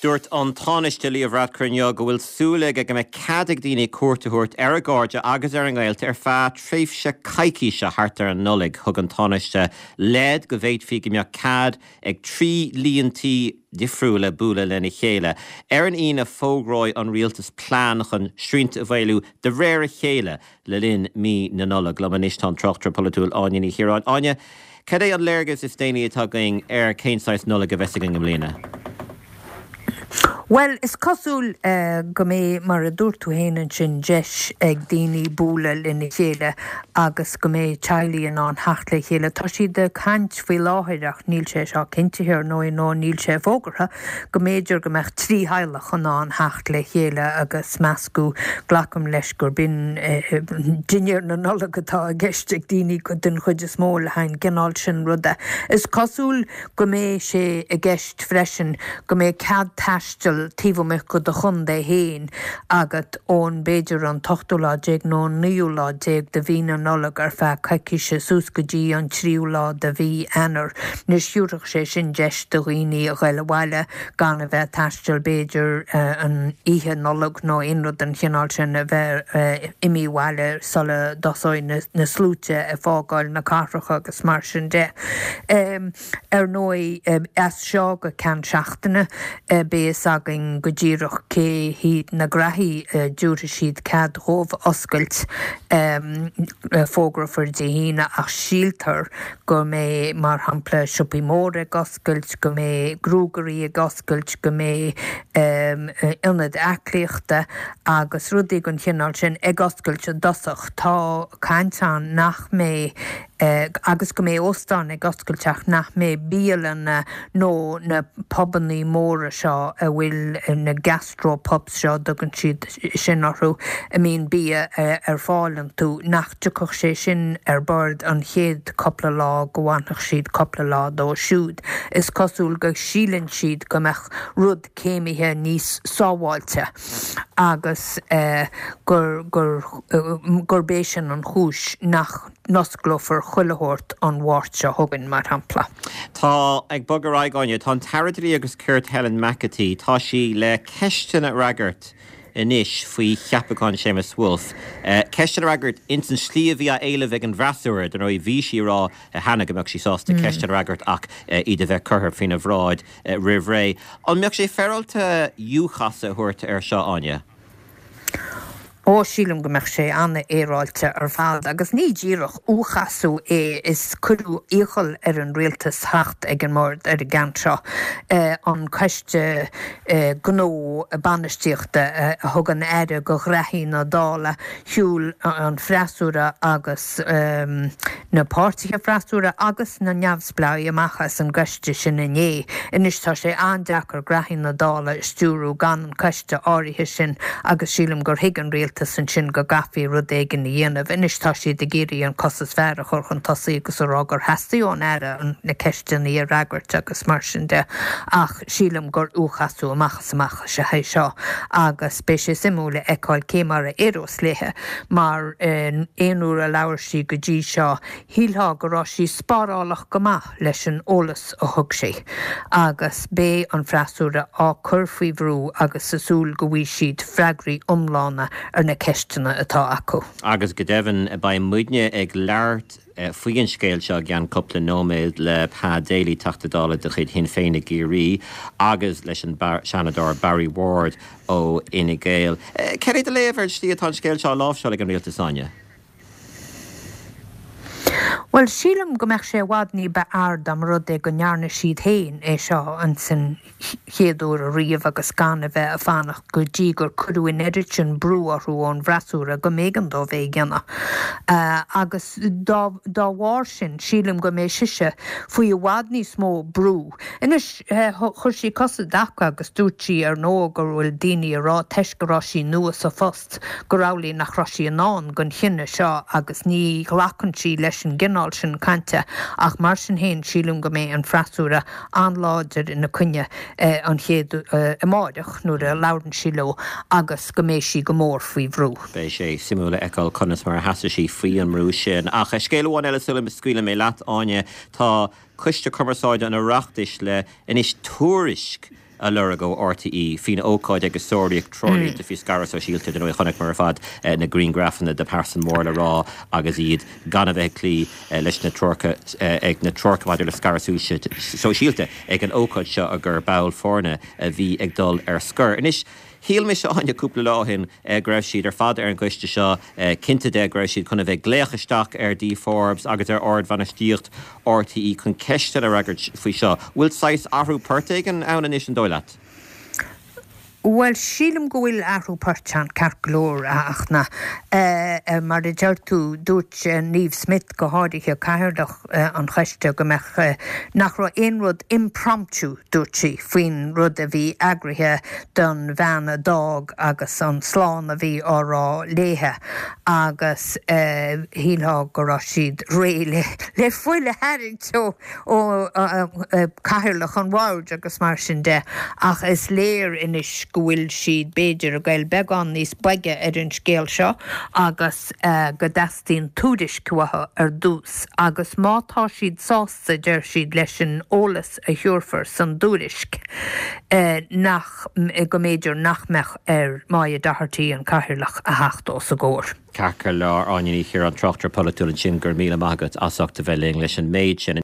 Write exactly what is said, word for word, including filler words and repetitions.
Dúirt an Tánaiste Leo Varadkar inniu go bhfuil súil aige go mbeidh cead ag daoine cuairt a thabhairt ar a gcairde agus ar a ngaolta ar feadh tréimhse coicíse thart ar an Nollaig. Thug an Tánaiste leid go bhféadfaí go mbeadh cead ag trí líon tí difriúla bualadh lena chéile. Ar an Aoine fógróidh an rialtas plean chun srianta a mhaolú de réir a chéile le linn mí na Nollag. Liom anois tá an tráchtaire polaitiúil Áine Ní Chiaráin. Áine, cad é an léargas is déanaí atá againn ar cén saghas Nollag a bheas againn i mbliana? Well, is cosúil uh, go mbeidh mar a dúirt tú féin ansin deis ag daoine bualadh lena chéile agus go mbeidh teaghlaigh in ann theacht le chéile. Tá siad ag caint faoi láthair ach níl sé seo cinntithe nó nó níl sé fógartha go mb'fhéidir go mbeadh trí theaghlach in ann theacht le chéile agus meascadh glacaim leis gur b'in uh, dinnéar na Nollag atá i gceist ag daoine go den chuid is mó le haghaidh an cineál sin ruda. Is cosúil go mbeidh sé i gceist freisin go mbeidh cead taistil taobh amuigh de do chontae féin agat ón b'fhéidir an t-ochtú lá déag nó an naoú lá déag de mhí na Nollag ar feadh coicíse suas go dtí an tríú lá de mhí Eanáir. Anois thabharfadh sé sin deis do dhaoine a ghoil abhaile gan a bheith taisteal b'fhéidir uh, an oíche Nollag nó aon rud den chineál sin a bheith uh, imithe abhaile sula dtosóidh na, na sluaite ag fágáil na cathracha agus mar sin de. Um, ar ndóigh um, as seo go ceann seachtaine uh, beidh againn go díreach cé hiad na graithí uh, dtabharfaidh siad cead dóibh oscailt um, fógrófar Dé hAoine ach síltear go mbeidh mar shampla siopaí móra ag oscailt, go mbeidh gruagairí ag oscailt, go mbeidh um, ionaid aclaíochta agus rudaí den chineál sin ag oscailt i dtosach. Tá caint ann nach mbeidh uh, agus go mbeidh óstáin ag oscailt ach nach mbeidh bialanna nó na pubannaí móra seo a bhfuil na gastropubs seo tugann siad sin orthu a mbíonn bia ar fáil iontu nach dtiocfadh sé sin ar bord an chéad cúpla lá go bhfanfadh siad cúpla lá dó siúd. Is cosúil go síleann siad go mbeadh rud céimithe níos sábháilte agus uh, gur, gur, uh, gurb é sin an chúis nach n-osclófar chuile shórt an Mháirt seo chugainn mar shampla. Tá ag bogadh ar aghaidh Áine, tá an tAire Dlí agus Cirt Helen McEntee, tá sí le ceisteanna a fhreagairt anois faoi cheapachán Séamus Woulfe. Uh, ceisteanna a fhreagairt ins an slí a bhí á éileamh ag an bhfreasúra, don bhí sí rá cheana go mbeadh sí sásta mm. ceisteanna a fhreagairt ach uh, iad a bheith curtha faoina bhráid uh, roimh ré. An mbeadh sé féaráilte U-chasadh a thabhairt ar seo Áine? Ó sílim go mbeadh sé an-fhéaráilte ar fad, agus ní díreach U-chasadh é is cuireadh iachall ar an rialtas theacht ag an mbord ar an gceann seo uh, an coiste uh, gnó bainistíochta uh, a thug an aire go ghraithí na Dála shiúil an freasúra agus um, na páirtithe freasúra agus na neamhspleáigh amach as an gcoiste sin inné. Anois tá sé an-deacair graithí na Dála stiúradh gan an coiste áirithe sin agus sílim gur thuig an rialtas ansin go gcaithfí rud éigin a dhéanamh. Anois tá siad ag iarraidh an cos is fearr a chur chun tosaigh agus a rá gur theastaigh ón aire an na ceisteanna a fhreagairt agus mar sin de ach sílim gur U-chasadh amach is amach is ea é seo agus beidh sé suimiúil a fheiceáil cé mar a éireos léi mar aon uair a labhair sí go dtí seo shílfeá go raibh sí spárálach go maith leis an eolas a thug sí agus beidh an freasúra á cur faoi bhrú agus sa súil go bhfaighidh siad freagraí iomlána ar na ceisteanna atá acu. Agus go deimhin beidh muidne ag labhairt faoi an scéal seo i gceann cúpla nóiméad le Pa Daly Teachta Dála de chuid Shinn Féin i gCiarraí agus leis an Seanadóir Barry Ward ó Fhine Gael. Cad é do léamh ar an slí atá an scéal seo á láimhseáil ag an rialtas Áine? Well sílim go mbeadh sé i bhfad ní ba fhearr dá mba rud é go ndearna siad féin é seo an san chéad uair ariamh agus gan a bheith ag fanacht go dtí gur cuireadh an oiread sin brú orthu ón bhfreasúra go mb'éigean dóibh é a dhéanamh. Uh, agus dá, dá bharr sin sílim go mbeidh sise faoi i bhfad níos mó brú. Anois uh, chuir sí cosa i dtaca agus dúirt sí ar ndóigh go bhfuil daoine ag rá toisc go raibh sí nua sa phost gur amhlaidh nach raibh sí in ann don chinneadh seo agus ní ghlacann sí leis an gcineál sin cainte ach mar sin féin sílim go mbeidh an freasúra an-láidir ina coinne eh, an chéad eh, amárach nuair a labhrann sí leo agus go mbeidh sí go mór faoi bhrú. Beidh sé suimiúil a fheiceáil conas mar a sheasfaidh sí faoi an mbrú sin. Ach scéal amháin eile sula scaoilfidh mé leat Áine tá Coiste Cumarsáide an Oireachtais le anois tuairisc a lorg ó R T E faoin ócáid agus sáraíodh treoirlínte faoi scaradh sóisialta. Dar ndóigh, chonaiceamar ar fad na grianghrafanna de pearsain mór le rá agus iad gan a bheith ag cloí leis na treoracha ag na treoracha maidir le scaradh sóisialta ag an ócáid seo a gur ball foirne a bhí ag dul ar scor. Anois, shíl mise, Áine, cúpla lá ó shin go raibh siad ar fad ar an gcoiste seo cinnte de go raibh siad chun a bheith ag glaoch isteach ar Dee Forbes agus ar ardbhainistíocht R T E chun ceisteanna a fhreagairt faoi seo. Bhfuil saghas athrú poirt éigin ann anois, an dóigh leat? Well, sílim go bhfuil athrú poirt ann ceart go leor ach na mar a deir tú, dúirt Niamh Smyth, go háirithe, cathaoirleach an choiste, go mbeadh nach raibh aon rud impromptu, dúirt sí, faoin rud a bhí eagraithe don bhean a d'fhág agus an slán a bhí á rá léithe agus shílfeá go raibh siad réidh le le fuil a tharraingt ó ó cathaoirleach an bhoird agus mar sin de, ach is léir anois go bhfuil siad b'fhéidir ag goil beagán níos boige ar an scéal seo agus go dteastaíonn tuairisc uathu ar dtús agus má tá siad sásta, deir siad, leis an eolas a thabharfar san dtuairisc, nach go mb'fhéidir nach mbeadh ar Moya Doherty, an cathaoirleach, a theacht os a gcomhair. Ceart go leor, Áine Ní Chiaráin, tráchtaire polaitiúil ansin, go raibh míle maith agat as ucht a bheith linn leis an méid sin.